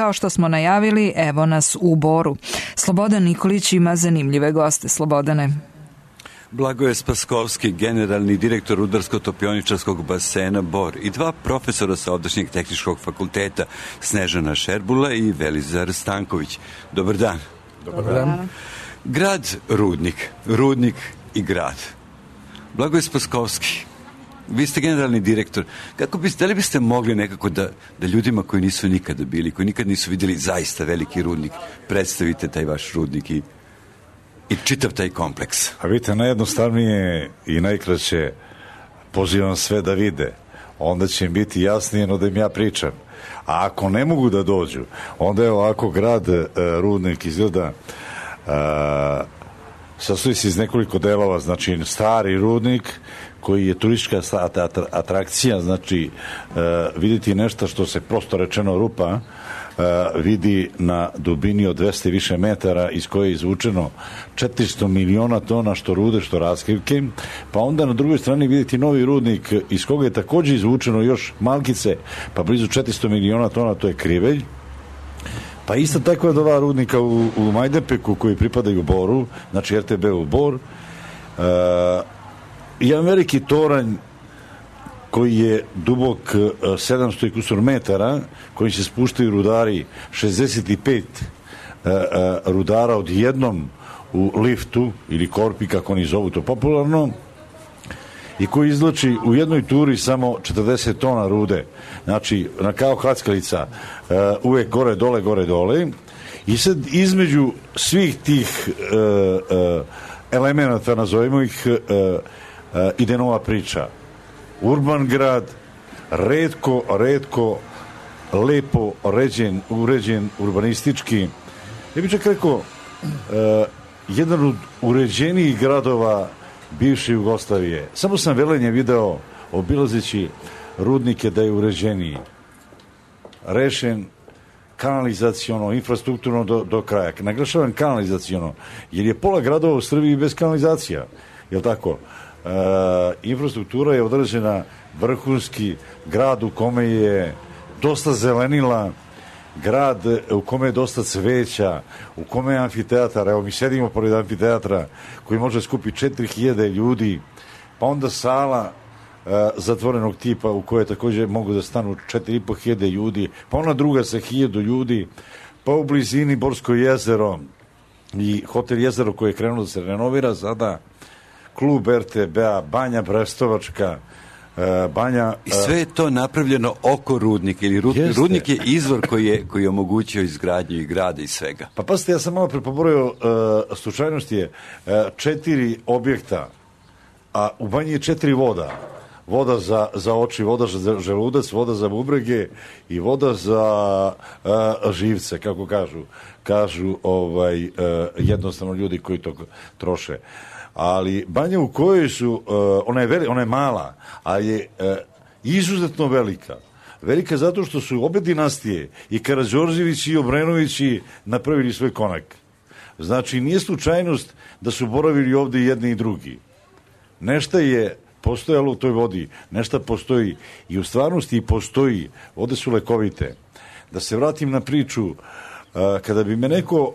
kao što smo najavili, evo nas u Boru. Slobodan Nikolić ima zanimljive goste. Slobodane. Blagoje Spaskovski, generalni direktor Rudarsko-topioničarskog basena Bor i dva profesora sa ovdašnjeg tehničkog fakulteta, Snežana Šerbula i Velizar Stanković. Dobar dan. Dobar dan. Grad Rudnik. Rudnik i grad. Blagoje Spaskovski, vi ste generalni direktor. Da li biste mogli nekako da ljudima koji nisu nikada bili, koji nikad nisu vidjeli zaista veliki rudnik, predstavite taj vaš rudnik i čitav taj kompleks? A vidite, najjednostavnije i najkraće pozivam sve da vide. Onda će im biti jasnije no da im ja pričam. A ako ne mogu da dođu, onda je ovako grad Rudnik izgleda sastoji se iz nekoliko delova, znači stari Rudnik koji je turistička atrakcija, znači vidjeti nešto što se prosto rečeno rupa vidi na dubini od 200 i više metara iz koje je izvučeno 400 miliona tona što rude, što raskrivke, pa onda na drugoj strani vidjeti novi rudnik iz koga je također izvučeno još malkice, pa blizu 400 miliona tona, to je Krivelj. Pa isto tako je dva rudnika u Majdanpeku koji pripadaju Boru, znači RTB u Bor, i jedan veliki toranj koji je dubok 700 i kusur metara, kojim se spuštaju rudari, 65 rudara odjednom u liftu ili korpi, kako oni zovu to popularno, i koji izlači u jednoj turi samo 40 tona rude. Znači, kao hackalica, uvek gore, dole. I sad između svih tih elemenata, nazovimo ih, ide nova priča. Urban grad, redko lepo uređen urbanistički. Ja bih čak rekao, jedan od uređenijih gradova bivše Jugoslavije. Samo sam Velenje video, obilazeći rudnike, da je uređeniji. Rešen kanalizaciono, infrastrukturno do kraja. Naglašavam kanalizaciono, jer je pola gradova u Srbiji bez kanalizacija. Jel' tako? Infrastruktura je određena, vrhunski grad u kome je dosta zelenila, grad u kome je dosta cveća, u kome je amfiteatar. Evo, mi sedimo pored amfiteatra koji može skupiti 4000 ljudi, pa onda sala zatvorenog tipa u kojoj također mogu da stanu 4500 ljudi, pa ona druga sa 1000 ljudi, pa u blizini Borsko jezero i hotel Jezero koji je krenuo da se renovira sada, klub RTB-a, Banja Brestovačka, Banja... I sve je to napravljeno oko rudnika, ili rudnik je izvor koji je omogućio izgradnju i grada i svega. Pa pazite, ja sam malo prepoborio, slučajnost je 4 objekta, a u Banji je 4 voda. Voda za oči, voda za želudac, voda za bubrege i voda za živce, kako kažu jednostavno ljudi koji to troše. Ali Banja u kojoj su, ona je mala, a je izuzetno velika. Velika zato što su obe dinastije, i Karađorđević i Obrenovići, napravili svoj konak. Znači, nije slučajnost da su boravili ovdje jedni i drugi. Nešto je postojalo u toj vodi, nešto postoji i u stvarnosti i postoji. Vode su lekovite. Da se vratim na priču, kada bi me neko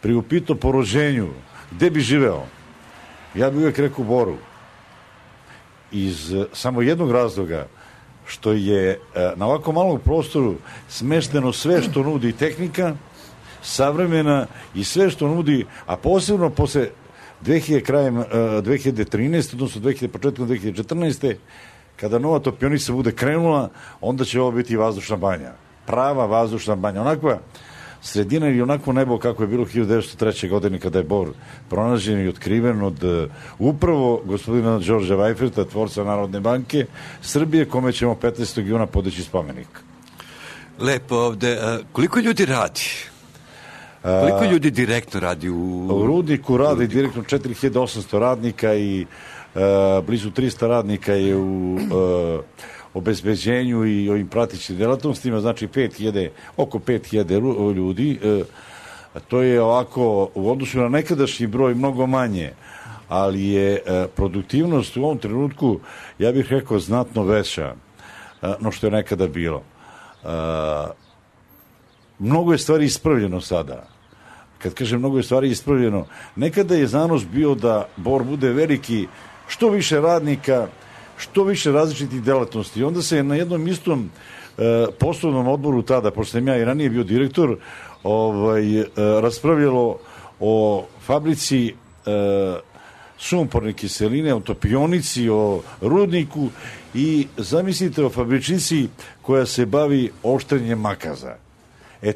priupitao po rođenju, gde bi živeo? Ja bih uvijek rekao Boru. Iz samo jednog razloga, što je na ovako malom prostoru smešteno sve što nudi tehnika, savremena, i sve što nudi, a posebno posle krajem 2013, odnosno početkom 2014. kada nova topionica bude krenula, onda će ovo biti vazdušna banja. Prava vazdušna banja. Onakva sredina ili onako nebo kako je bilo 1903. godine kada je Bor pronađen i otkriven od upravo gospodina Đorđa Vajferta, tvorca Narodne banke Srbije, kome ćemo 15. juna podići spomenik. Lepo ovde. Koliko ljudi radi? Koliko ljudi direktno radi u Rudniku? Radi direktno 4800 radnika i blizu 300 radnika je u obezbeđenju i ovim pratičnim delatnostima, znači oko 5000 ljudi. To je ovako u odnosu na nekadašnji broj mnogo manje, ali je produktivnost u ovom trenutku, ja bih rekao, znatno veća no što je nekada bilo. mnogo je stvari ispravljeno sada. Kad kažem mnogo je stvari ispravljeno, nekada je zanos bio da Bor bude veliki, što više radnika, što više različitih delatnosti. Onda se na jednom istom poslovnom odboru tada, pošto sam ja i ranije bio direktor, raspravljalo o fabrici sumporne kiseline, o topionici, o rudniku i zamislite o fabričici koja se bavi oštrenjem makaza.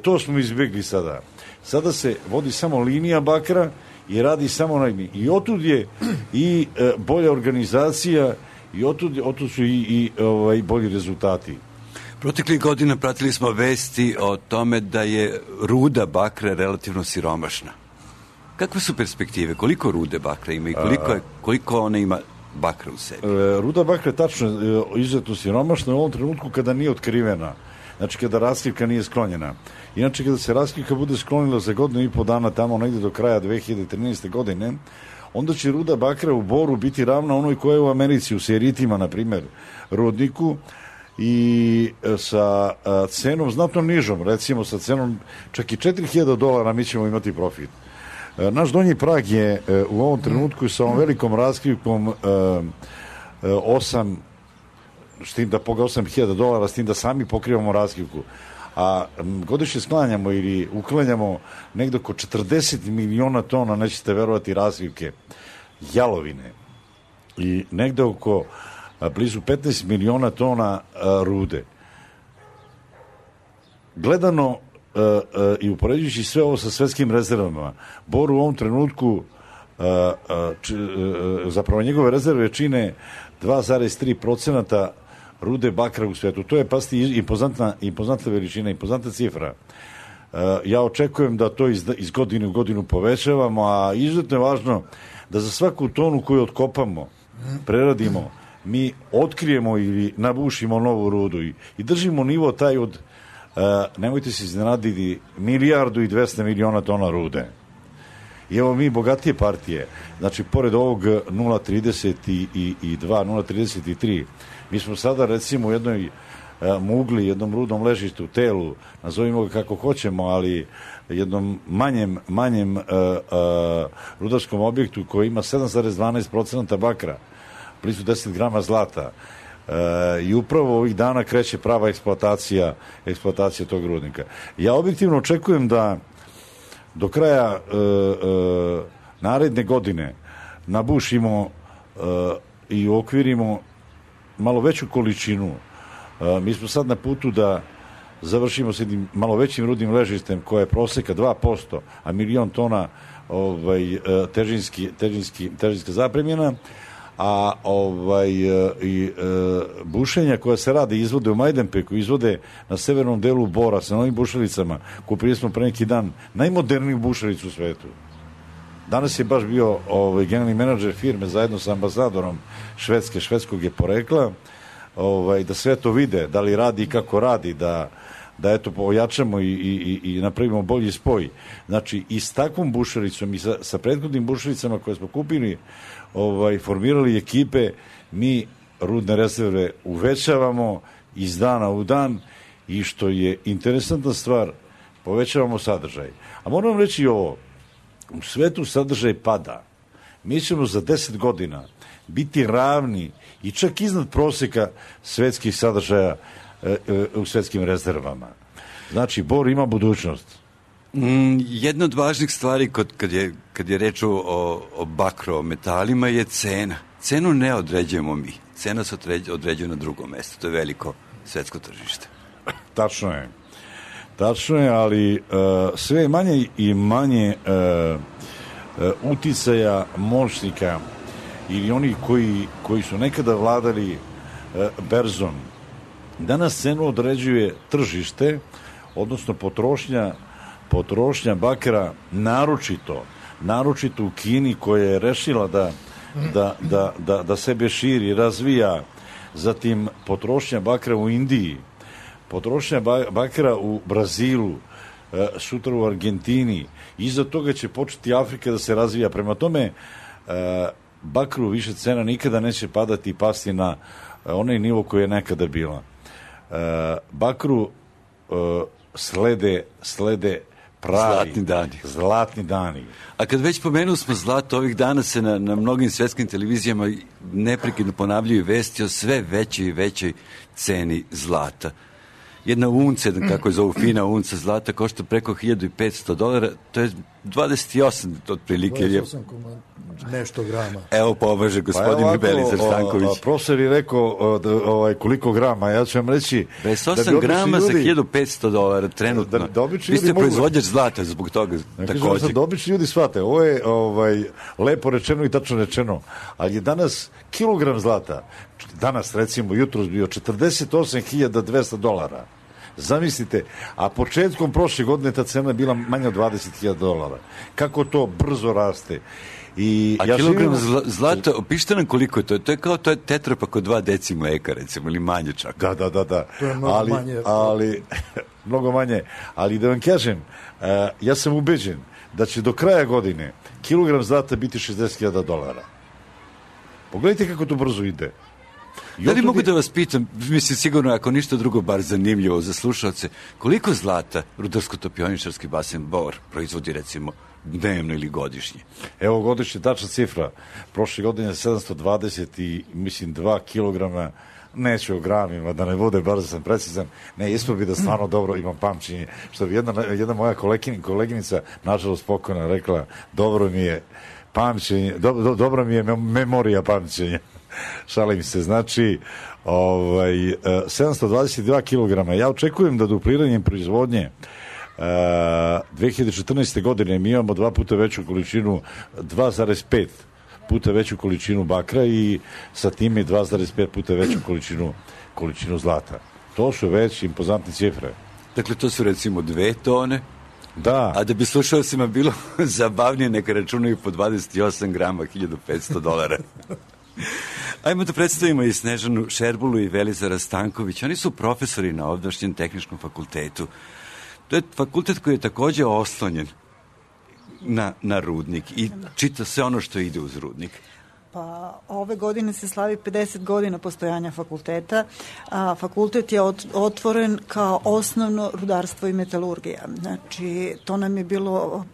To smo izbjegli sada. Sada se vodi samo linija bakra i radi samo na liniji. I otud je i bolja organizacija i otud su i bolji rezultati. Proteklih godina pratili smo vesti o tome da je ruda bakra relativno siromašna. Kakve su perspektive? Koliko rude bakra ima i koliko ona ima bakra u sebi? Ruda bakra je tačno izuzetno siromašna u ovom trenutku kada nije otkrivena. Znači kada raskrivka nije sklonjena. Inače kada se raskrivka bude sklonila za godinu i po dana tamo negdje do kraja 2013. godine, onda će ruda bakra u Boru biti ravna onoj koja je u Americi, u Seritima, na primjer, rudniku, i sa cenom znatno nižom, recimo sa cenom čak i $4.000 mi ćemo imati profit. Naš donji prag je u ovom trenutku sa ovom velikom raskrivkom 8, s tim da poga $8.000, s tim da sami pokrivamo raskrivku. A godišnje sklanjamo ili uklanjamo negdje oko 40 miliona tona, nećete verovati, raskrivke, jalovine. I negdje oko blizu 15 miliona tona rude. Gledano i upoređujući sve ovo sa svetskim rezervama, Bor u ovom trenutku zapravo njegove rezerve čine 2,3% rude bakra u svetu. To je, pasti, impozantna veličina, impozantna cifra. Ja očekujem da to iz godine u godinu povećavamo, a izuzetno je važno da za svaku tonu koju otkopamo, preradimo, mi otkrijemo ili nabušimo novu rudu i držimo nivo taj od, nemojte se iznenaditi, 1,2 milijarde tona rude. I evo mi bogatije partije, znači pored ovog 0,32, 0,33, mi smo sada recimo u jednoj mugli, jednom rudnom ležištu, telu, nazovimo ga kako hoćemo, ali jednom manjem rudarskom objektu koji ima 7,12% bakra, blizu 10 grama zlata. I upravo ovih dana kreće prava eksploatacija tog rudnika. Ja objektivno očekujem da do kraja naredne godine nabušimo i uokvirimo malo veću količinu. Mi smo sad na putu da završimo s jednim malo većim rudnim ležištem koje je proseka 2%, a 1.000.000 tona težinska zapremljena, a bušenja koja se rade izvode u Majdanpeku, izvode na severnom delu Bora sa novim bušelicama. Kupili smo pre neki dan najmoderniju bušelicu u svetu. Danas je baš bio generalni menadžer firme zajedno sa ambasadorom švedskog je porekla, da sve to vide, da li radi i kako radi, da eto pojačamo i napravimo bolji spoj. Znači i s takvom bušelicom i sa prethodnim bušelicama koje smo kupili, formirali ekipe, mi rudne rezerve uvećavamo iz dana u dan i što je interesantna stvar, povećavamo sadržaj. A moram reći ovo, u svetu sadržaj pada. Mi ćemo za 10 godina biti ravni i čak iznad prosjeka svetskih sadržaja u svetskim rezervama. Znači, Bor ima budućnost. Jedna od važnih stvari kad je reč o bakrometalima je cena. Cenu ne određujemo mi. Cena se određuje na drugom mjestu. To je veliko svetsko tržište. Tačno je, ali sve manje i manje uticaja moćnika ili oni koji su nekada vladali berzom. Danas cenu određuje tržište, odnosno potrošnja bakra, naročito u Kini koja je rešila da sebe širi, razvija, zatim potrošnja bakra u Indiji, potrošnja bakra u Brazilu, sutra u Argentini, iza toga će početi Afrika da se razvija. Prema tome, bakru više cena nikada neće padati i pasti na onaj nivo koji je nekada bila. Bakru slede pravi zlatni dani. A kad već pomenu smo zlato, ovih dana se na mnogim svetskim televizijama neprekidno ponavljaju vesti o sve većoj i većoj ceni zlata. Jedna unca, kako je zovu fina unca zlata, košta preko $1.500, to je 28 otprilike. 28 nešto grama. Evo pomaže gospodin Belizer Stanković. Profesor je rekao koliko grama, ja ću vam reći 28 grama za $1.500 trenutno. Vi ste proizvođač zlata zbog toga također. Da obični ljudi shvate, ovo je lepo rečeno i tačno rečeno, ali je danas kilogram zlata, danas recimo jutros bio $48.200. Zamislite, a početkom prošle godine ta cena bila manja od $20.000. Kako to brzo raste. A kilogram zlata, opišite nam koliko je to? To je kao tetrapak od 2 deci mleka, recimo, ili manje čak. Da. To je mnogo manje. Mnogo manje. Ali da vam kažem, ja sam ubeđen da će do kraja godine kilogram zlata biti $60.000. Pogledajte kako to brzo ide. Da li mogu da vas pitam, mislim sigurno ako ništa drugo bar zanimljivo za slušalce, koliko zlata Rudarsko-topioničarski basen Bor proizvodi recimo dnevno ili godišnje? Evo godišnje tačna cifra. Prošle godine 720 i mislim 2 kilograma, neću o gramima, da ne bude, bar da sam precizan. Ne, isto bi da stvarno dobro imam pamćenje. Što bi jedna moja koleginica, nažalost pokojna, rekla, dobro mi je pamćenje, dobro mi je memorija pamćenja. Šalim se, znači 722 kilograma. Ja očekujem da dupliranjem proizvodnje 2014. godine mi imamo 2 puta veću količinu, 2,5 puta veću količinu bakra i sa time 2,5 puta veću količinu zlata. To su već impozantne cifre. Dakle, to su recimo 2 tone. Da. A da bi slušalcima bilo zabavnije, neka računaju po 28 grama, $1.500. Ajmo da predstavimo i Snežanu Šerbulu i Velizara Stanković. Oni su profesori na ovdašnjem tehničkom fakultetu. To je fakultet koji je također oslonjen na rudnik i čita sve ono što ide uz rudnik. Pa ove godine se slavi 50 godina postojanja fakulteta. Fakultet je otvoren kao osnovno rudarstvo i metalurgija. Znači, to nam je bilo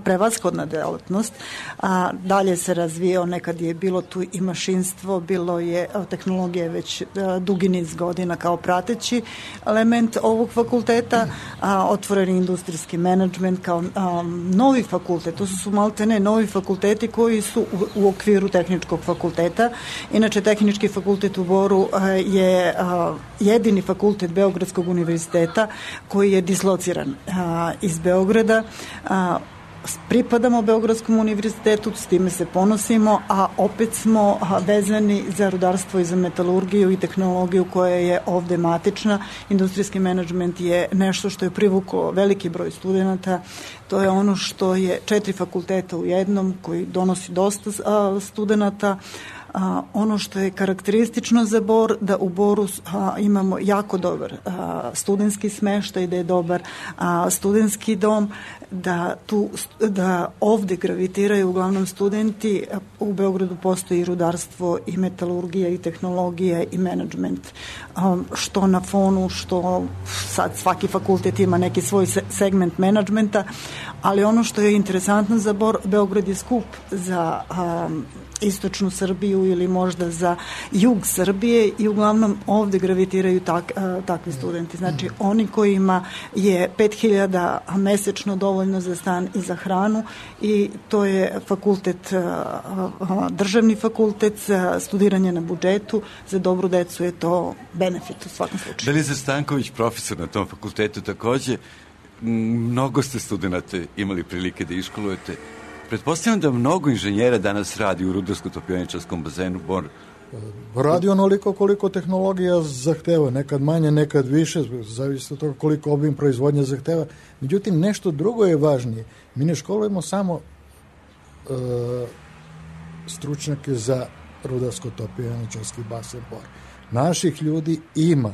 prevashodna delatnost, a dalje se razvijao, nekad je bilo tu i mašinstvo, bilo je tehnologija već dugi niz godina kao prateći element ovog fakulteta, otvoreni industrijski menadžment kao novi fakultet, to su maltene novi fakulteti koji su u okviru tehničkog fakulteta. Inače, tehnički fakultet u Boru je jedini fakultet Beogradskog univerziteta koji je dislociran iz Beograda. Pripadamo Beogradskom univerzitetu, s time se ponosimo, a opet smo vezani za rudarstvo i za metalurgiju i tehnologiju koja je ovde matična. Industrijski menadžment je nešto što je privuklo veliki broj studenata. To je ono što je 4 fakulteta u jednom, koji donosi dosta studenata. Ono što je karakteristično za Bor, da u Boru imamo jako dobar studentski smeštaj, da je dobar studentski dom, da ovde gravitiraju uglavnom studenti. U Beogradu postoji i rudarstvo i metalurgija i tehnologija i menadžment, što na fonu, što sad svaki fakultet ima neki svoj segment menadžmenta, ali ono što je interesantno za Bor, Beograd je skup za istočnu Srbiju ili možda za jug Srbije i uglavnom ovde gravitiraju takvi studenti. Znači, oni kojima je 5.000 mesečno dovoljno za stan i za hranu, i to je fakultet, državni fakultet, za studiranje na budžetu, za dobru decu je to benefit u svakom slučaju. Velizar Stanković, profesor na tom fakultetu takođe, mnogo ste studenta imali prilike da iškolujete. Pretpostavljam da mnogo inženjera danas radi u Rudarsko-topioničarskom bazenu Bor. Radi onoliko koliko tehnologija zahteva, nekad manje, nekad više, zavisi od toga koliko obim proizvodnje zahteva. Međutim, nešto drugo je važnije. Mi ne školujemo samo stručnjake za Rudarsko-topioničarski basen Bor. Naših ljudi ima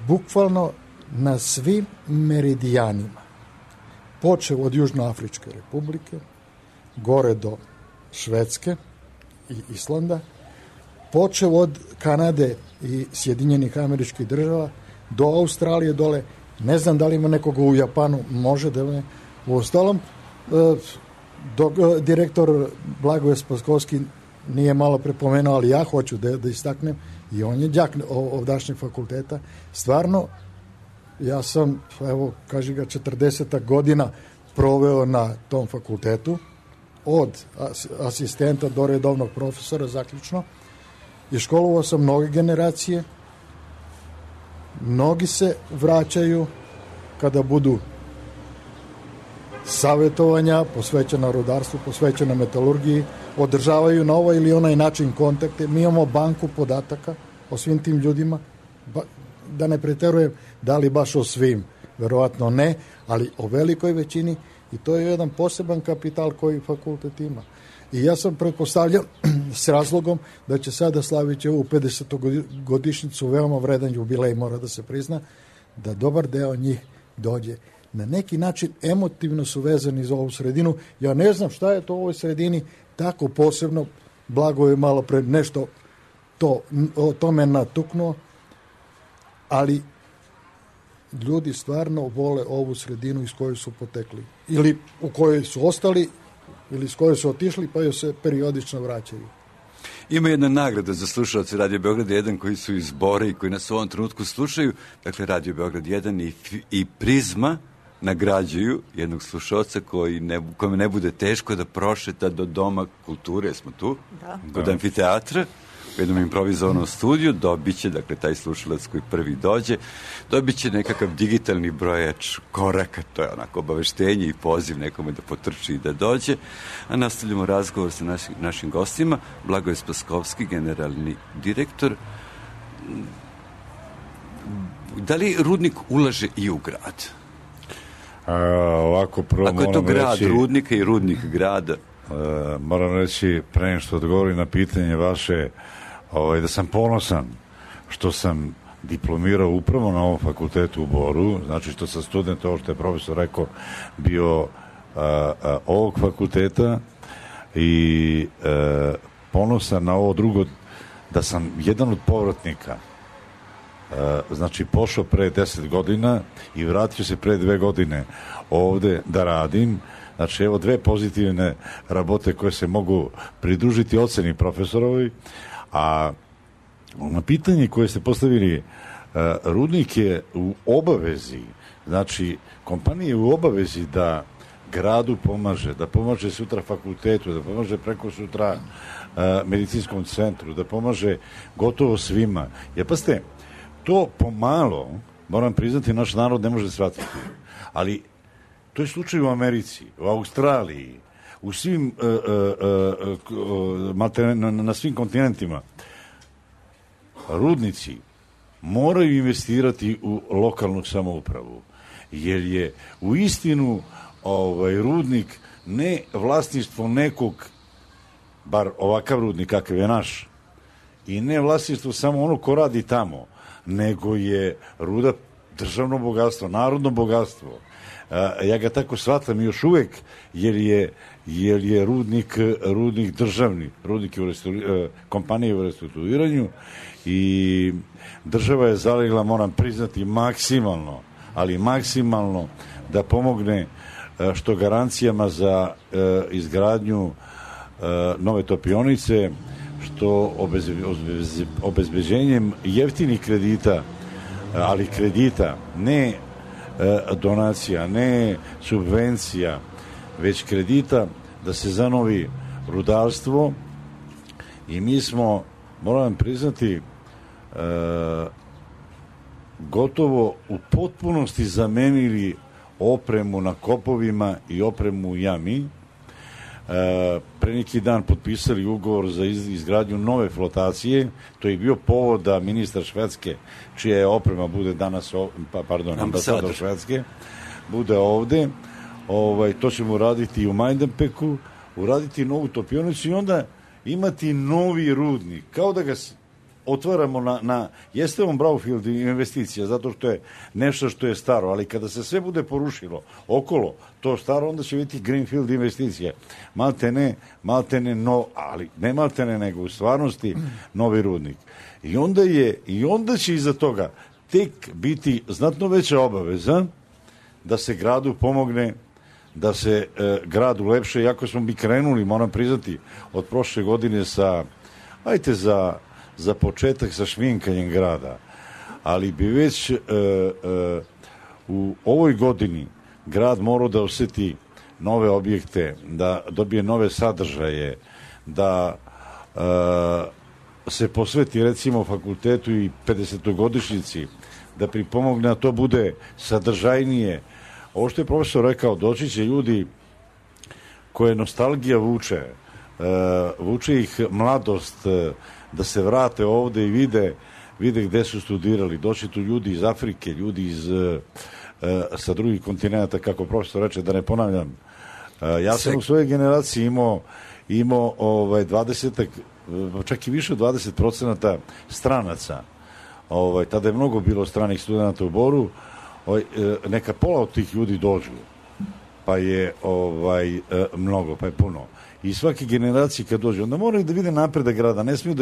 bukvalno na svim meridijanima. Počeo od Južnoafričke republike, gore do Švedske i Islanda, počeo od Kanade i Sjedinjenih Američkih Država, do Australije dole. Ne znam da li ima nekoga u Japanu, može da ne. U ostalom, direktor Blagoje Spaskovski nije malo prepomenuo, ali ja hoću da istaknem, i on je đak ovdašnjeg fakulteta. Stvarno, ja sam, evo, kaži ga, 40 godina proveo na tom fakultetu, od asistenta do redovnog profesora zaključno, i školovao sam mnoge generacije. Mnogi se vraćaju kada budu savjetovanja posvećena rudarstvu, posvećena metalurgiji, održavaju na ovaj ili onaj način kontakte. Mi imamo banku podataka o svim tim ljudima, da ne preterujem da li baš o svim, verovatno ne, ali o velikoj većini, i to je jedan poseban kapital koji fakultet ima. I ja sam pretpostavljao s razlogom da će sada slaviti ovu 50. godišnjicu, veoma vredan jubilej, mora da se prizna, da dobar deo njih dođe. Na neki način emotivno su vezani za ovu sredinu. Ja ne znam šta je to u ovoj sredini tako posebno. Blago je malo pre nešto o tome natuknuo, ali ljudi stvarno vole ovu sredinu iz koje su potekli. Ili u kojoj su ostali, ili s koje su otišli, pa joj se periodično vraćaju. Ima jedna nagrada za slušalce Radio Beograd 1 koji su iz Bora i koji nas u ovom trenutku slušaju. Dakle, Radio Beograd 1 i Prizma nagrađuju jednog slušalca kome ne bude teško da prošeta do Doma kulture, smo tu, kod amfiteatra, u jednom improvizovanom studiju, dobit će, dakle, taj slušalac koji prvi dođe, dobit će nekakav digitalni brojač koraka, to je onako obaveštenje i poziv nekome da potrči i da dođe, a nastavljamo razgovor sa našim gostima. Blagoje Spaskovski, generalni direktor. Da li rudnik ulaže i u grad? Ovako, prvo ako je to grad rudnika i rudnik grada? Moram reći, pre nego što odgovorim na pitanje vaše, da sam ponosan što sam diplomirao upravo na ovom fakultetu u Boru, znači što sam student, ovo što je profesor rekao, bio ovog fakulteta, i ponosan na ovo drugo, da sam jedan od povratnika, znači pošao pre 10 godina i vratio se pre 2 godine ovde da radim. Znači, evo 2 pozitivne rabote koje se mogu pridružiti oceni profesorovi. A na pitanje koje ste postavili, rudnik je u obavezi, znači kompanija je u obavezi da gradu pomaže, da pomaže sutra fakultetu, da pomaže preko sutra medicinskom centru, da pomaže gotovo svima. Jer pa ste, to pomalo, moram priznati, naš narod ne može shvatiti. Ali to je slučaj u Americi, u Australiji, u svim, na svim kontinentima. Rudnici moraju investirati u lokalnu samoupravu, jer je u istinu rudnik ne vlasništvo nekog, bar ovakav rudnik kakav je naš, i ne vlasništvo samo ono ko radi tamo, nego je ruda državno bogatstvo, narodno bogatstvo. Ja ga tako shvatam još uvek, jer je rudnik državni, rudnik je kompanije u restrukturiranju, i država je zalegla, moram priznati, maksimalno, ali maksimalno da pomogne što garancijama za izgradnju nove topionice, što obezbeđenjem jeftinih kredita, ali kredita, ne donacija, ne subvencija, već kredita, da se zanovi rudarstvo. I mi smo, moram priznati, gotovo u potpunosti zamenili opremu na kopovima i opremu u jami. Pre neki dan potpisali ugovor za izgradnju nove flotacije. To je bio povod da ministar Švedske, čija je oprema bude danas, ambasador Švedske, bude ovde. To ćemo uraditi i u Majdanpeku, uraditi novu topionicu i onda imati novi rudnik. Kao da ga otvaramo jeste on brownfield investicija, zato što je nešto što je staro, ali kada se sve bude porušilo okolo to staro, onda će biti greenfield investicija. Maltene ali ne maltene, nego u stvarnosti novi rudnik. I onda će iza toga tek biti znatno veća obaveza da se gradu pomogne, da se grad ulepše, iako smo mi krenuli, moram priznati, od prošle godine sa, ajte za početak sa šminkanjem grada, ali bi već u ovoj godini grad morao da osjeti nove objekte, da dobije nove sadržaje, da se posveti recimo fakultetu i 50-godišnjici, da pripomogne da to bude sadržajnije. Ovo što je profesor rekao, doći će ljudi koje nostalgija vuče ih mladost, da se vrate ovde i vide gde su studirali. Doći tu ljudi iz Afrike, ljudi sa drugih kontinenta, kako profesor reče, da ne ponavljam. Ja sam u svojoj generaciji imao 20, čak i više od 20% stranaca. Tada je mnogo bilo stranih studenta u Boru. Neka pola od tih ljudi dođu, pa je mnogo, pa je puno. I svaki generaciji kad dođe, onda moraju da vide napredak grada, ne smiju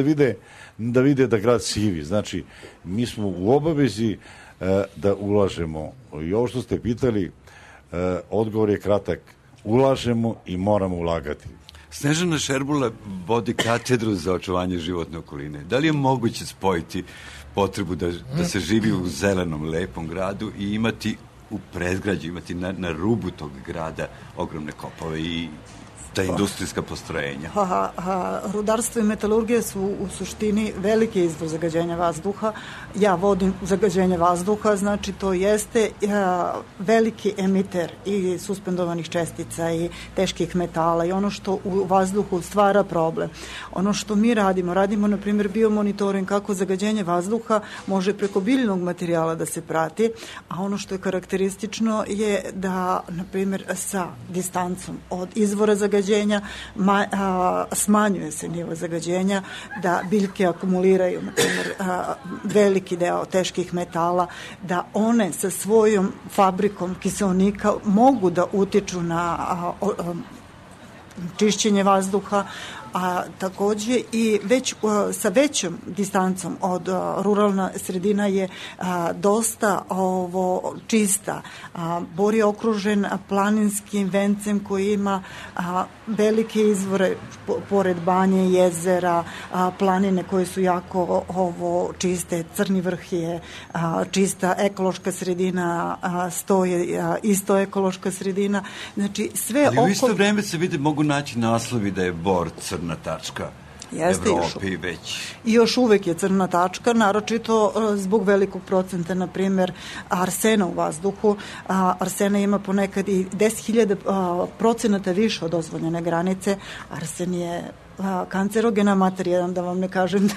da vide da grad sivi. Znači, mi smo u obavezi da ulažemo. I ovo što ste pitali, odgovor je kratak. Ulažemo i moramo ulagati. Snežana Šerbula vodi katedru za očuvanje životne okoline. Da li je moguće spojiti potrebu da se živi u zelenom, lepom gradu i imati u predgrađu, imati na rubu tog grada ogromne kopove i ta industrijska postrojenja? Rudarstvo i metalurgija su u suštini veliki izvor zagađenja vazduha. Ja vodim zagađenje vazduha, znači to jeste veliki emiter i suspendovanih čestica i teških metala i ono što u vazduhu stvara problem. Ono što mi radimo na primjer biomonitoring kako zagađenje vazduha može preko biljnog materijala da se prati, a ono što je karakteristično je da na primjer sa distancom od izvora zagađenja smanjuje se nivo zagađenja, da biljke akumuliraju na primjer veliki deo teških metala, da one sa svojom fabrikom kiseonika mogu da utiču na čišćenje vazduha, a takođe i već sa većom distancom od ruralna sredina je dosta čista. Bor je okružen planinskim vencem koji ima velike izvore pored banje, jezera, planine koje su jako čiste. Crni vrh je čista ekološka sredina, Sto je isto ekološka sredina. Znači sve ali u isto vreme se vidi, mogu naći naslovi da je Bor crna tačka Evrope i već. I još uvek je crna tačka, naročito zbog velikog procenta, na primjer, arsena u vazduhu. Arsena ima ponekad i 10.000% više od dozvoljene granice. Arsen je kancerogena materija, da vam ne kažem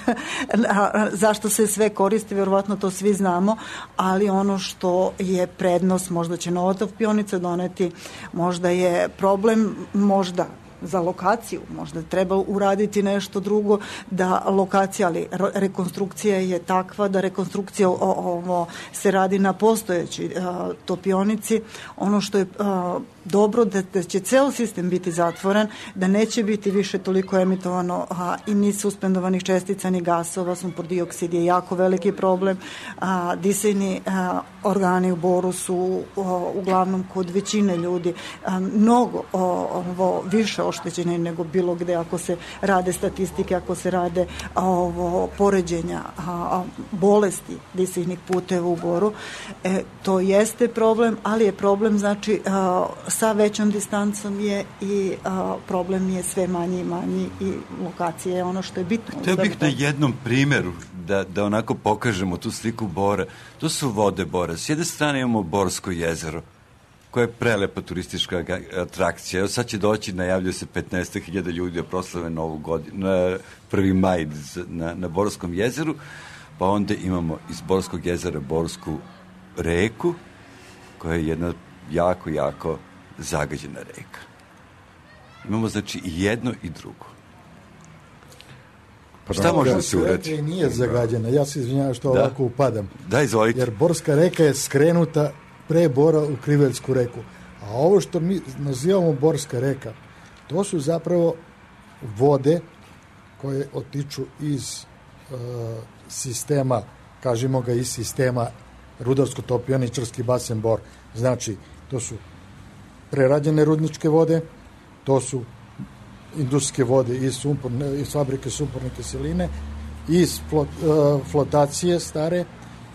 zašto se sve koristi, verovatno to svi znamo, ali ono što je prednost, možda će nova topionica doneti, možda je problem, možda za lokaciju, možda treba uraditi nešto drugo da lokacija, ali rekonstrukcija je takva da rekonstrukcija se radi na postojećoj topionici. Ono što je dobro da će ceo sistem biti zatvoren, da neće biti više toliko emitovano i ni suspendovanih čestica ni gasova. Sumpor dioksid je jako veliki problem. Disajni organi u Boru su uglavnom kod većine ljudi mnogo više oštećeni nego bilo gde, ako se rade statistike, ako se rade poređenja bolesti disajnih puteva u Boru. To jeste problem, ali je problem znači sa većom distancom je i problem je sve manji i manji i lokacija je ono što je bitno. Hteo bih na jednom primjeru da onako pokažemo tu sliku Bora. To su vode Bora. S jedne strane imamo Borsko jezero, koja je prelepa turistička atrakcija. Evo sad će doći, najavljuje se 15.000 ljudi da proslave Novu godinu, 1. maj na Borskom jezeru, pa onda imamo iz Borskog jezera Borsku reku, koja je jedna jako, jako zagađena reka. Imamo znači i jedno i drugo. Pa šta može da se uradi? Nije zagađena, ja se izvinjavam što ovako upadam. Da, izvolite. Jer Borska reka je skrenuta pre Bora u Kriveljsku reku. A ovo što mi nazivamo Borska reka, to su zapravo vode koje otiču iz sistema kažemo ga iz sistema rudarsko-topioničarski basen Bor. Znači, to su prerađene rudničke vode, to su industrijske vode iz fabrike sumporne kiseline, iz flotacije stare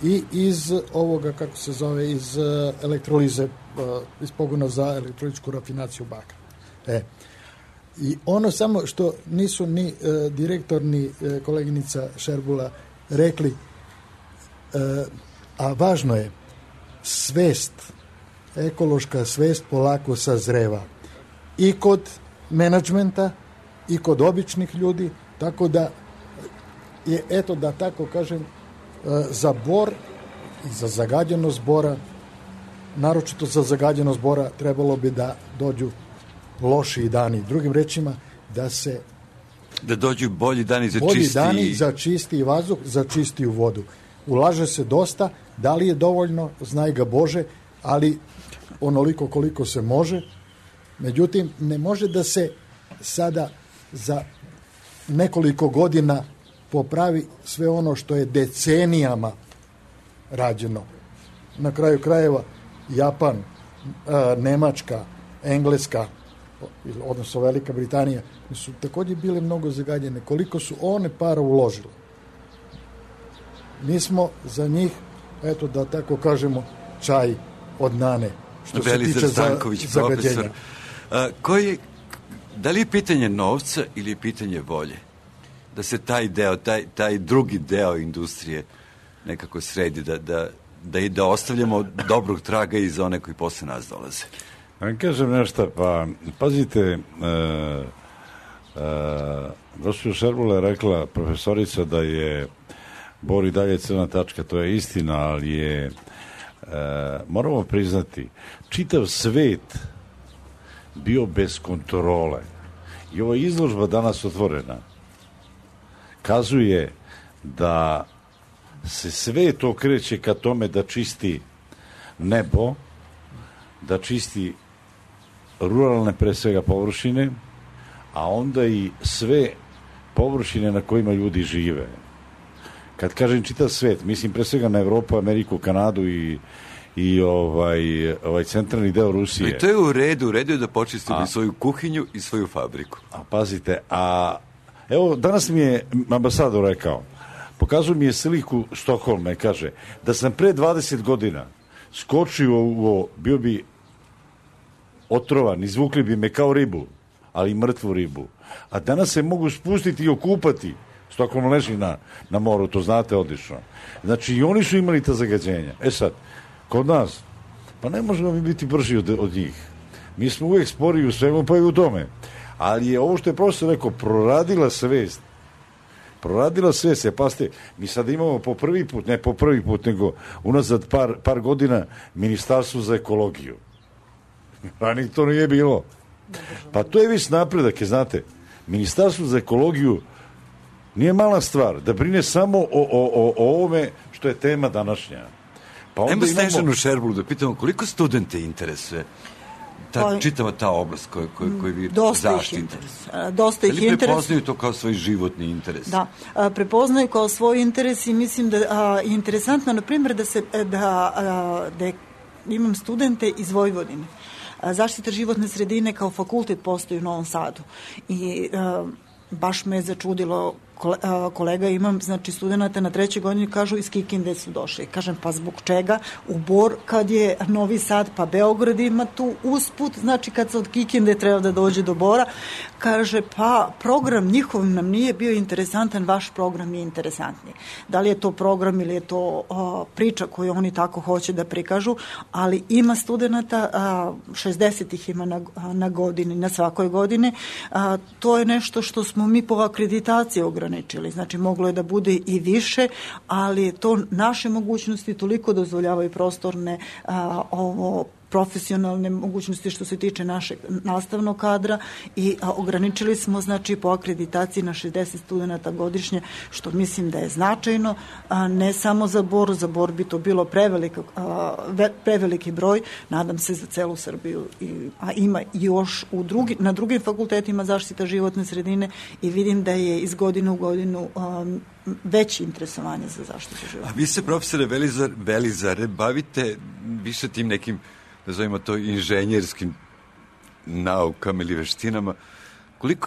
i iz ovoga, kako se zove, iz elektrolize, iz pogona za elektroličku rafinaciju bakra. I ono samo što nisu ni direktor ni koleginica Šerbula rekli, a važno je, svest, ekološka svest polako sazreva i kod menadžmenta i kod običnih ljudi, tako da je, eto da tako kažem, za Bor i za zagađenost Bora, naročito za zagađenost Bora, trebalo bi da dođu lošiji dani. Drugim rečima, da dođu bolji dani za čistiji vazduh, za čistiju vodu. Ulaže se dosta, da li je dovoljno, znaj ga Bože, ali onoliko koliko se može. Međutim, ne može da se sada za nekoliko godina popravi sve ono što je decenijama rađeno. Na kraju krajeva Japan, Nemačka, Engleska, odnosno Velika Britanija, su također bile mnogo zagađene. Koliko su one para uložile? Mi smo za njih, eto da tako kažemo, čaj od nane, što se tiče zagađenja. Da li je pitanje novca ili je pitanje volje? Da se taj deo, taj drugi deo industrije nekako sredi, da ostavljamo dobrog traga i za one koji posle nas dolaze. Kažem nešto, pa pazite, gospođa Šerbula je rekla, profesorica, da je Bor i dalje crna tačka, to je istina, ali je, moramo priznati, čitav svet bio bez kontrole. I ova izložba danas otvorena kazuje da se svet okreće ka tome da čisti nebo, da čisti ruralne pre svega površine, a onda i sve površine na kojima ljudi žive. Kad kažem čitav svet, mislim pre svega na Evropu, Ameriku, Kanadu i ovaj centralni deo Rusije. I to je u redu je da počistimo svoju kuhinju i svoju fabriku. A pazite, evo, danas mi je ambasador rekao, pokazuje mi je sliku Stokholma i kaže, da sam pre 20 godina skočio bio bi otrovan, izvukli bi me kao ribu, ali mrtvu ribu. A danas se mogu spustiti i okupati. Stokholm leži na moru, to znate odlično. Znači, i oni su imali ta zagađenja. Sad, kod nas, pa ne možemo mi biti brži od njih. Mi smo uvijek spori u svemu, pa i u tome. Ali je ovo što je profesor rekao, proradila svest. Pazite, mi sad imamo ne po prvi put, nego unazad par godina Ministarstvo za ekologiju. Ranije to nije bilo. Pa to je već napredak, znate. Ministarstvo za ekologiju nije mala stvar, da brine samo o ovome što je tema današnja. Pa onda Snežanu Šerbulu da pitamo koliko studente interesuje čitava ta oblast koju vi zaštite. Dosta ih interesuje. Prepoznaju to kao svoj životni interes? Da, prepoznaju kao svoj interes i mislim da je interesantno, na primjer, da imam studente iz Vojvodine. Zaštita životne sredine kao fakultet postoji u Novom Sadu i baš me je začudilo, kolega imam, znači studenta na 3. godini, kažu iz Kikinde su došli. Kažem, pa zbog čega? U Bor, kad je Novi Sad, pa Beograd ima tu usput, znači kad se od Kikinde treba da dođe do Bora, kaže, pa program njihov nam nije bio interesantan, vaš program je interesantniji. Da li je to program ili je to priča koju oni tako hoće da prikažu, ali ima studenta, 60 ih ima na godini, na svakoj godini. To je nešto što smo mi po akreditaciji ograničili. Znači, moglo je da bude i više, ali to naše mogućnosti toliko dozvoljavaju prostorne profesionalne mogućnosti što se tiče našeg nastavnog kadra i ograničili smo znači po akreditaciji na 60 studenta godišnje, što mislim da je značajno, ne samo za Bor bi to bilo preveliki broj, nadam se za celu Srbiju, a ima još na drugim fakultetima zaštita životne sredine i vidim da je iz godine u godinu veće interesovanje za zaštitu života. A vi se, profesore Velizare, bavite više tim nekim, nazovimo to, inženjerskim naukama ili veštinama.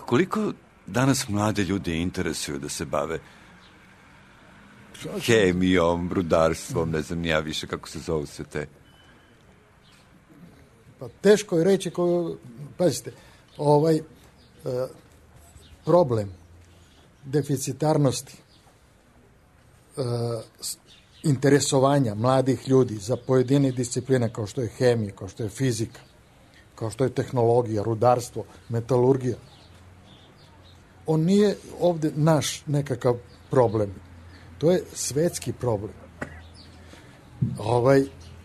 Koliko danas mlade ljude interesuju da se bave hemijom, rudarstvom, ne znam ja više kako se zovu sve te? Pa teško je reći pazite, problem deficitarnosti interesovanja mladih ljudi za pojedine discipline kao što je hemija, kao što je fizika, kao što je tehnologija, rudarstvo, metalurgija. On nije ovde naš nekakav problem. To je svetski problem.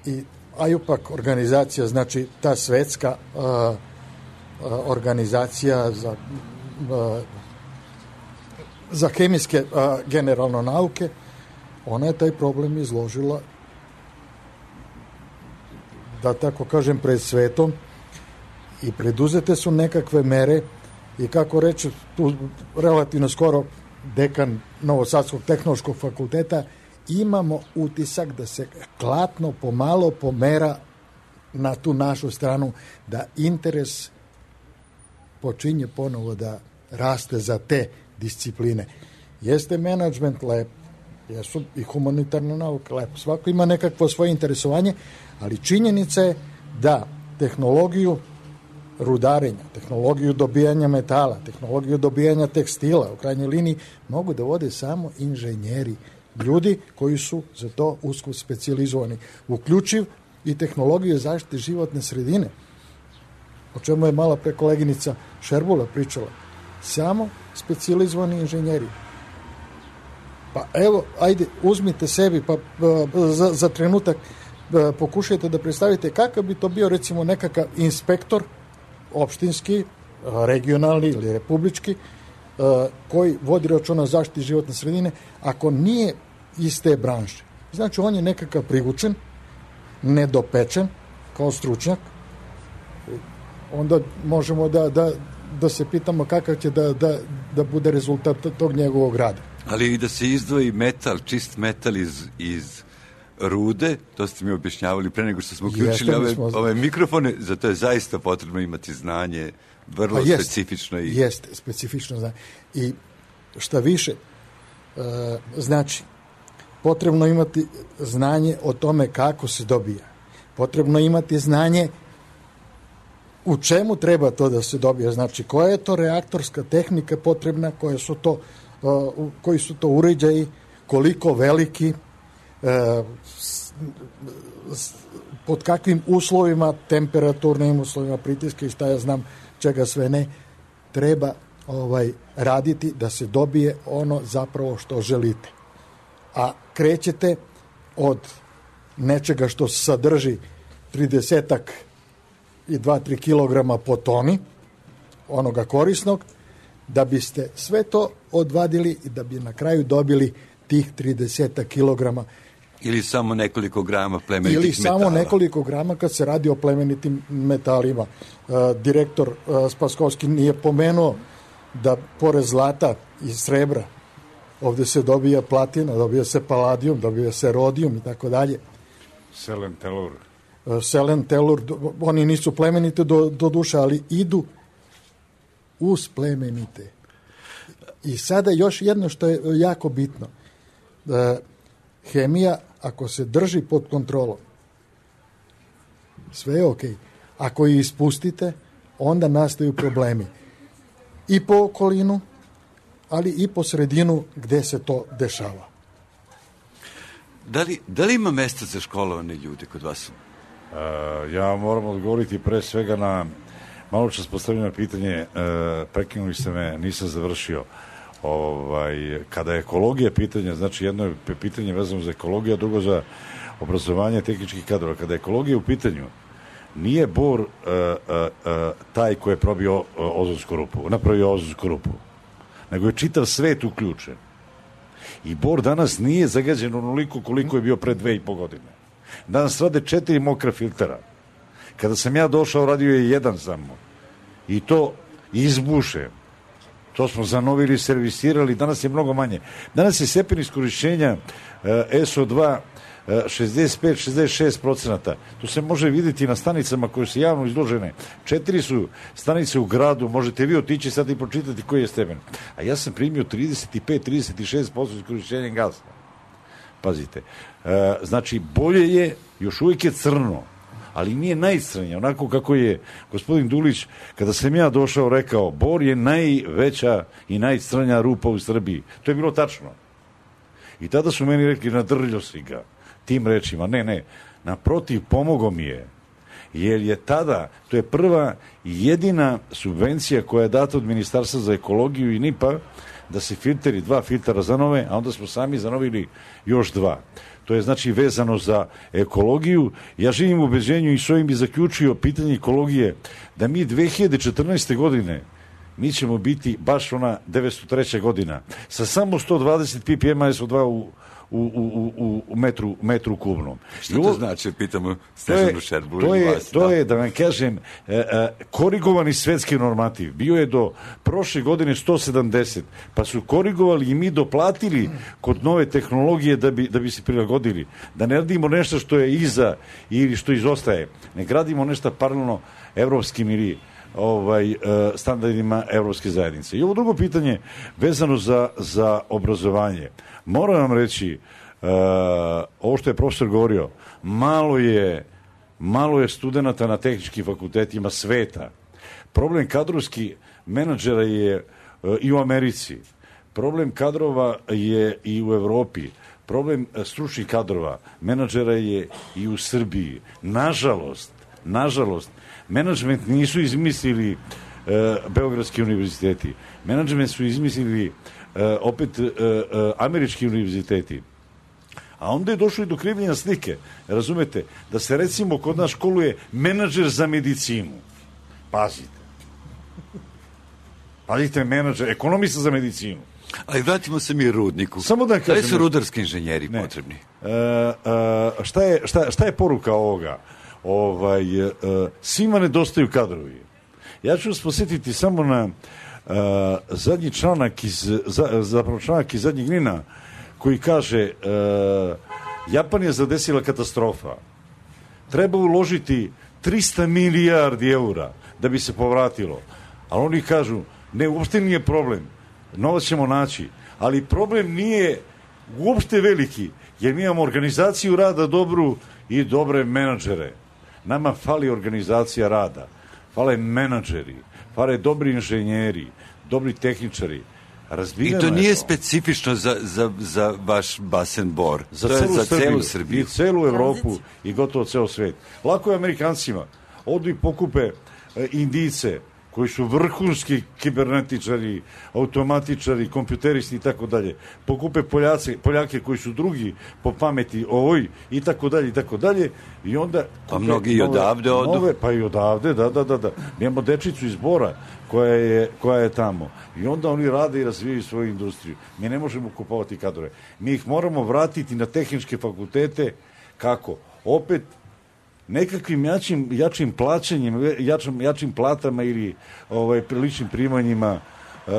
I IUPAC organizacija, znači ta svetska organizacija za hemijske generalno nauke, ona je taj problem izložila, da tako kažem, pred svetom i preduzete su nekakve mere i kako reći, tu relativno skoro dekan Novosadskog tehnološkog fakulteta, imamo utisak da se klatno pomalo pomera na tu našu stranu, da interes počinje ponovo da raste za te discipline. Jeste menadžment lep, jesu i humanitarne nauke lepo, svako ima nekakvo svoje interesovanje, ali činjenica je da tehnologiju rudarenja, tehnologiju dobijanja metala, tehnologiju dobijanja tekstila, u krajnjoj liniji, mogu da vode samo inženjeri, ljudi koji su za to usko specijalizovani, uključiv i tehnologiju zaštite životne sredine, o čemu je malo pre koleginica Šerbula pričala. Samo specijalizovani inženjeri. Pa evo, ajde, uzmite sebi pa za trenutak pokušajte da predstavite kakav bi to bio recimo nekakav inspektor opštinski, regionalni ili republički, koji vodi računa o zaštiti životne sredine, ako nije iz te branše. Znači, on je nekakav privučen, nedopečen, kao stručnjak, onda možemo da se pitamo kakav će da bude rezultat tog njegovog rada. Ali i da se izdvoji metal, čist metal iz rude, to ste mi objašnjavali pre nego što smo uključili ove mikrofone, zato je zaista potrebno imati znanje vrlo specifično. Jeste, specifično znanje. I šta više, znači, potrebno imati znanje o tome kako se dobija. Potrebno imati znanje u čemu treba to da se dobija. Znači, koja je to reaktorska tehnika potrebna, koji su to uređaji, koliko veliki, pod kakvim uslovima, temperaturnim uslovima, pritiska i šta ja znam čega sve ne, treba raditi da se dobije ono zapravo što želite. A krećete od nečega što sadrži 30-ak i 2-3 kilograma po toni, onoga korisnog, da biste sve to odvadili i da bi na kraju dobili tih 30 kilograma. Ili samo nekoliko grama plemenitih metala. Ili samo nekoliko grama kad se radi o plemenitim metalima. Direktor Spaskovski nije pomenuo da pored zlata i srebra ovde se dobija platina, dobija se paladijum, dobija se rodijum i tako dalje. Selen, telur, oni nisu plemenite do duše, ali idu uz plemenite. I sada još jedno što je jako bitno. Hemija, ako se drži pod kontrolom, sve je okej. Ako je ispustite, onda nastaju problemi. I po okolinu, ali i po sredinu gde se to dešava. Da li ima mesta za školovane ljude kod vas? Ja moram odgovoriti pre svega na malo čas postavljeno pitanje, prekinuli ste me, nisam završio. Kada je ekologija pitanja, znači jedno je pitanje vezano za ekologiju, a drugo za obrazovanje tehničkih kadrova. Kada je ekologija u pitanju, nije Bor taj koji je probio ozonsku rupu, napravio ozonsku rupu, nego je čitav svet uključen. I Bor danas nije zagađen onoliko koliko je bio pre 2,5 godine. Danas rade 4 mokra filtera. Kada sam ja došao, radio je jedan samo. I to izbuše. To smo zanovili, servisirali, danas je mnogo manje. Danas je stepen iskorišćenja SO2 65-66%. To se može vidjeti na stanicama koje su javno izložene. 4 su stanice u gradu, možete vi otići sad i pročitati koji je stepen. A ja sam primio 35-36% iskorišćenja gasa. Pazite. Znači, bolje je, još uvijek je crno, ali nije najcrnije, onako kako je gospodin Dulić, kada sam ja došao, rekao, Bor je najveća i najcrnja rupa u Srbiji. To je bilo tačno. I tada su meni rekli, nadrljao si ga tim rečima. Ne, naprotiv, pomogo mi je. Jer je tada, to je prva i jedina subvencija koja je data od Ministarstva za ekologiju i NIP-a, da se filteri, 2 filtera zanove, a onda smo sami zanovili još 2. To je znači vezano za ekologiju. Ja živim u ubeđenju i s ovim bi zaključio pitanje ekologije, da mi 2014. godine mi ćemo biti baš ona 903. godina sa samo 120 ppm SO2 u metru kubnom. Što to znači, pitamo Snežanu Šerbulu i vas? To je, da vam kažem, korigovani svetski normativ. Bio je do prošle godine 170, pa su korigovali i mi doplatili kod nove tehnologije da bi se prilagodili. Da ne radimo nešto što je iza ili što izostaje. Ne gradimo nešto paralelno evropskim ili standardima evropske zajednice. I ovo drugo pitanje vezano za obrazovanje. Moram vam reći, ovo što je profesor govorio, malo je studenata na tehničkim fakultetima sveta. Problem kadrovski menadžera je i u Americi. Problem kadrova je i u Evropi. Problem stručnih kadrova menadžera je i u Srbiji. Nažalost, menadžment nisu izmislili Beogradski univerziteti. Menadžment su izmislili opet američki univerziteti. A onda je došlo i do krivljenja slike. Razumete? Da se recimo kod nas školuje menadžer za medicinu. Pazite, menadžer, ekonomista za medicinu. Ali vratimo se mi rudniku. Samo da kažem, da li su rudarski inženjeri potrebni? Šta je poruka ovoga? Svima nedostaju kadrovi. Ja ću vas posjetiti samo na zadnji članak iz zadnjeg NIN-a koji kaže Japan je zadesila katastrofa. Treba uložiti 300 milijardi eura da bi se povratilo. Ali oni kažu, ne, uopšte nije problem. Novac ćemo naći. Ali problem nije uopšte veliki, jer mi imamo organizaciju rada dobru i dobre menadžere. Nama fali organizacija rada. Fale menadžeri, fale dobri inženjeri, dobri tehničari. I to nije specifično za vaš basen Bor. To je za celu Srbiju. I celu Evropu i gotovo ceo svet. Lako je Amerikancima. Odu i pokupe Indijce, koji su vrhunski kibernetičari, automatičari, kompjuteristi i tako dalje. Pokupe Poljake koji su drugi po pameti i tako dalje. I onda... Pa mnogi i odavde odu. Pa i odavde, da. Mi imamo dečicu iz Bora koja je tamo. I onda oni rade i razvijaju svoju industriju. Mi ne možemo kupovati kadrove. Mi ih moramo vratiti na tehničke fakultete. Kako? Opet nekakvim jačim plaćanjem, jačim platama ili priličnim primanjima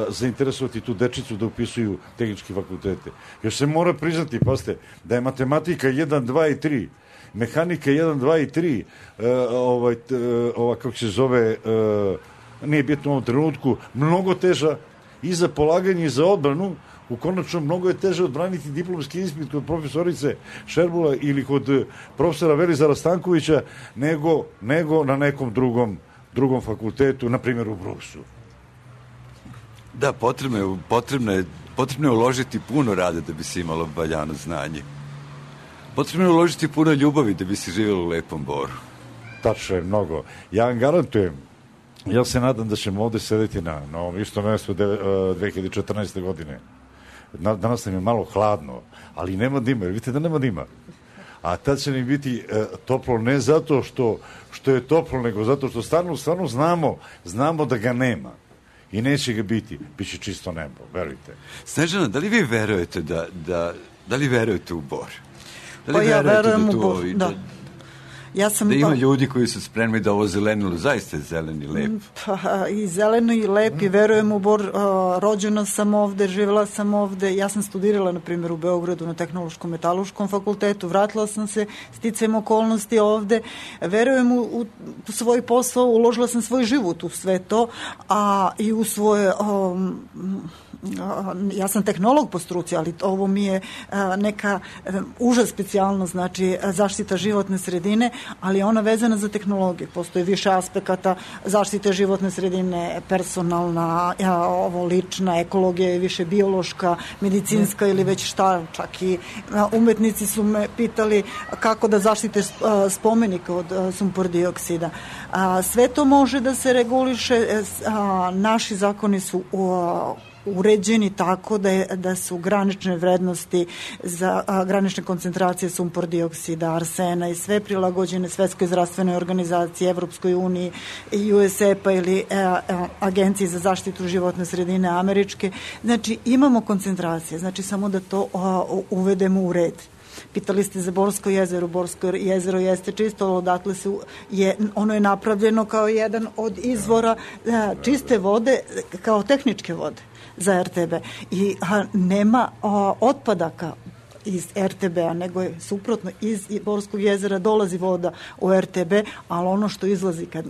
zainteresovati tu dečicu da upisuju tehničke fakultete. Još se mora priznati, pazite, da je matematika 1, 2 i 3, mehanika 1, 2 i 3, kako se zove, nije bitno u ovom trenutku, mnogo teža i za polaganje i za odbranu. U konačno mnogo je teže odbraniti diplomski ispit kod profesorice Šerbula ili kod profesora Velizara Stankovića nego na nekom drugom fakultetu, na primjer u Bruksu. Da, potrebno je uložiti puno rada da bi se imalo valjano znanje. Potrebno je uložiti puno ljubavi da bi se živjelo u lepom Boru. Tačno je mnogo. Ja vam garantujem, ja se nadam da ćemo ovdje sedeti na ovom istom mjestu 2014. godine. Danas nam je malo hladno, ali nema dima. Vidite da nema dima. a tad će mi biti toplo ne zato što je toplo, nego zato što stvarno znamo da ga nema. I neće ga biti. Biće čisto nebo, verujte. Snežana, da li vi verujete da li verujete u Bor? Pa ja verujem u Bor, da. Da ima ljudi koji su spremni da ovo zelenilo, zaista je zeleni lep. Pa, i zeleno i lep i verujem u Bor. Rođena sam ovde, živjela sam ovde. Ja sam studirala, na primjer, u Beogradu na Tehnološkom metaloškom fakultetu. Vratila sam se sticajem okolnosti ovde. Verujem u svoj posao, uložila sam svoj život u sve to, a i u svoje... ja sam tehnolog po struci, ali ovo mi je neka uža specijalnost, znači zaštita životne sredine, ali ona vezana za tehnologiju. Postoji više aspekata zaštite životne sredine, personalna, lična, ekologija je više biološka, medicinska ili već šta, čak i umetnici su me pitali kako da zaštite spomenik od sumpor dioksida. Sve to može da se reguliše, naši zakoni su uređeni tako da su granične vrednosti za granične koncentracije sumpor dioksida, arsena i sve prilagođene Svetskoj zdravstvenoj organizaciji, Evropskoj uniji, USEP-a ili Agenciji za zaštitu životne sredine američke. Znači, imamo koncentracije, znači samo da to uvedemo u red. Pitali ste za Borsko jezero. Borsko jezero jeste čisto, odatle ono je napravljeno kao jedan od izvora čiste vode, kao tehničke vode za RTB. I nema otpadaka iz RTB-a, nego je suprotno, iz Borskog jezera dolazi voda u RTB, ali ono što izlazi kad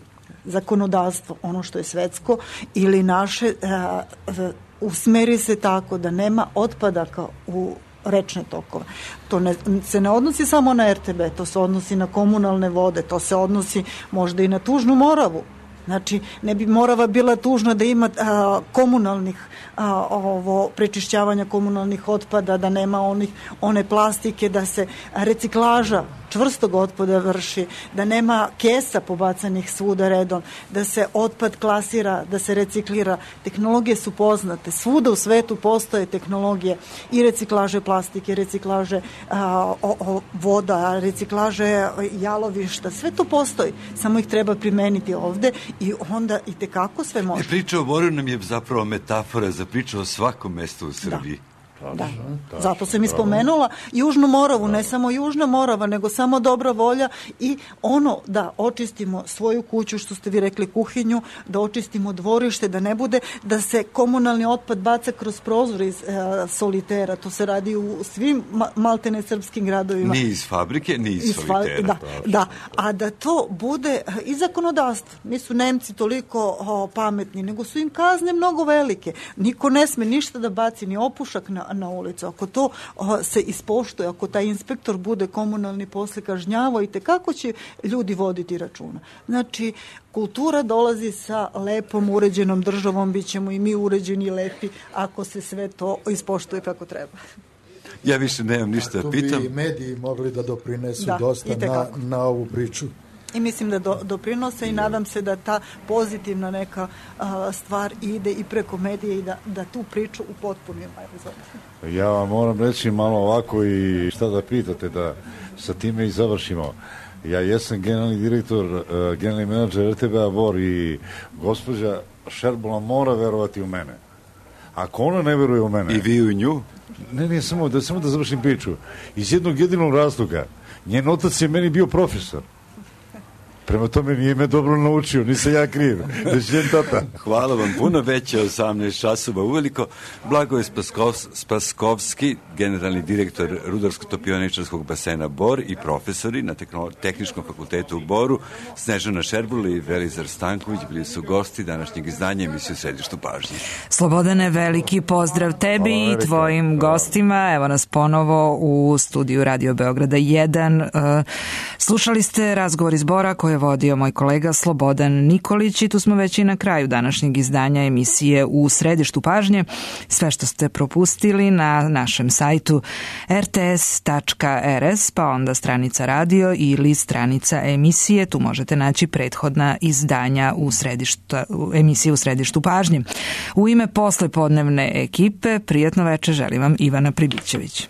zakonodavstvo, ono što je svetsko ili naše, usmeri se tako da nema otpadaka u rečne tokove. To se ne odnosi samo na RTB, to se odnosi na komunalne vode, to se odnosi možda i na Tužnu Moravu. Znači, ne bi Morava bila tužna da ima komunalnih prečišćavanja komunalnih otpada, da nema one plastike, da se reciklaža čvrstog otpada vrši, da nema kesa pobacanih svuda redom, da se otpad klasira, da se reciklira. Tehnologije su poznate. Svuda u svetu postoje tehnologije i reciklaže plastike, reciklaže voda, reciklaže jalovišta. Sve to postoji. Samo ih treba primeniti ovde i onda i tekako sve može. Priča o Boru nam je zapravo metafora za priču o svakom mestu u Srbiji. Da, zato sam i spomenula Južnu Moravu, ne samo Južna Morava, nego samo dobra volja i ono da očistimo svoju kuću, što ste vi rekli, kuhinju, da očistimo dvorište, da ne bude da se komunalni otpad baca kroz prozor iz solitera. To se radi u svim maltene srpskim gradovima. Ni iz fabrike, ni iz solitera. Da, a da to bude i zakonodavstvo. Nisu Nemci toliko pametni, nego su im kazne mnogo velike. Niko ne sme ništa da baci, ni opušak na ulicu. Ako to se ispoštuje, ako taj inspektor bude komunalni posle kažnjavao, i tekako će ljudi voditi računa. Znači, kultura dolazi sa lepom, uređenom državom, bit ćemo i mi uređeni i lepi ako se sve to ispoštuje kako treba. Ja više nemam ništa da pitam. Tu bi mediji mogli da doprinesu dosta na ovu priču. I mislim da doprinose i nadam se da ta pozitivna neka stvar ide i preko medija i da tu priču upotpunimo. Ja vam moram reći malo ovako i šta da pitate, da sa time i završimo. Ja jesam generalni direktor, generalni menadžer RTB-a Bor i gospođa Šerbula mora verovati u mene. Ako ona ne veruje u mene... I vi u nju? Ne, samo da završim priču. Iz jednog jedinog razloga. Njen otac je meni bio profesor. Prema tome nije me dobro naučio, nisam ja kriv. Hvala vam puno, već je 18 časova uveliko. Blagoje Spaskovski, generalni direktor Rudarsko-topioničarskog basena Bor i profesori na Tehničkom fakultetu u Boru, Snežana Šerbula i Velizar Stanković bili su gosti današnjeg izdanja emisije U središtu pažnje. Slobodane, veliki pozdrav tebi i tvojim gostima. Evo nas ponovo u studiju Radio Beograda 1. Slušali ste razgovor iz Bora koji je vodio moj kolega Slobodan Nikolić i tu smo već i na kraju današnjeg izdanja emisije U središtu pažnje. Sve što ste propustili na našem sajtu rts.rs, pa onda stranica radio ili stranica emisije. Tu možete naći prethodna izdanja emisije U središtu pažnje. U ime poslepodnevne ekipe prijatno veče želim vam Ivana Pribićević.